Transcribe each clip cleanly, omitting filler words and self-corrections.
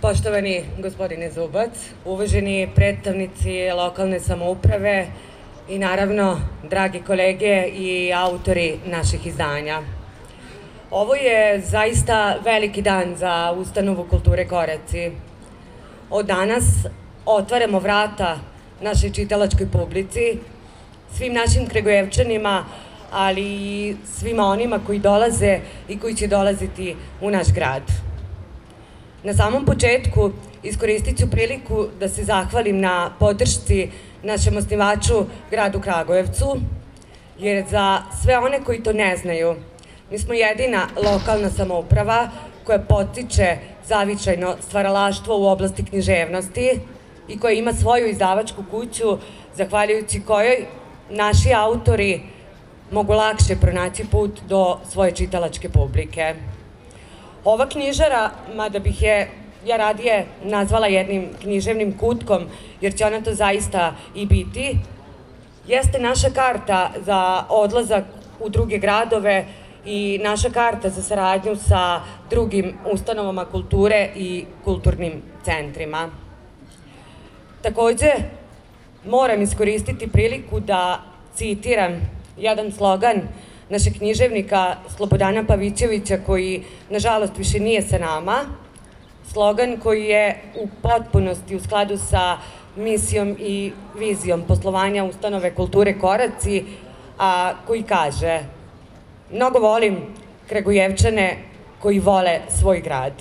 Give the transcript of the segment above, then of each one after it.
Poštovani gospodine Zubac, uvaženi predstavnici lokalne samouprave i naravno dragi kolege i autori naših izdanja. Ovo je zaista veliki dan za Ustanovu kulture Koraci. Od danas otvaramo vrata našoj čitalačkoj publici, svim našim Kragujevčanima, ali i svima onima koji dolaze i koji će dolaziti u naš grad. Na samom početku iskoristit ću priliku da se zahvalim na podršci našem osnivaču, gradu Kragujevcu, jer za sve one koji to ne znaju, mi smo jedina lokalna samouprava koja podstiče zavičajno stvaralaštvo u oblasti književnosti i koja ima svoju izdavačku kuću, zahvaljujući kojoj naši autori mogu lakše pronaći put do svoje čitalačke publike. Ova knjižara, mada bih je ja radije nazvala jednim književnim kutkom, jer će ona to zaista i biti, jeste naša karta za odlazak u druge gradove i naša karta za saradnju sa drugim ustanovama kulture i kulturnim centrima. Takođe, moram iskoristiti priliku da citiram jedan slogan našeg književnika Slobodana Pavićevića, koji, nažalost, više nije sa nama. Slogan koji je u potpunosti u skladu sa misijom i vizijom poslovanja Ustanove kulture Koraci, a koji kaže: mnogo volim Kragujevčane koji vole svoj grad.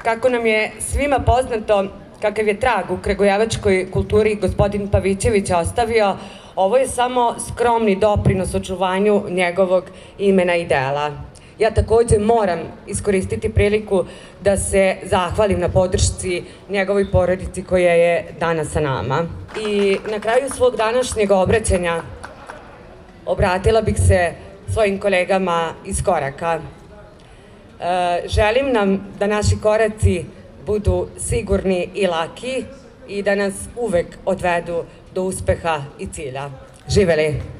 Kako nam je svima poznato kakav je trag u kragujevačkoj kulturi gospodin Pavićević ostavio, ovo je samo skromni doprinos očuvanju njegovog imena i dela. Ja takođe moram iskoristiti priliku da se zahvalim na podršci njegovoj porodici koja je danas sa nama. I na kraju svog današnjeg obraćanja obratila bih se svojim kolegama iz Koraka. Želim nam da naši koraci budu sigurni i laki i da nas uvek odvedu do uspeha i cilja. Živeli!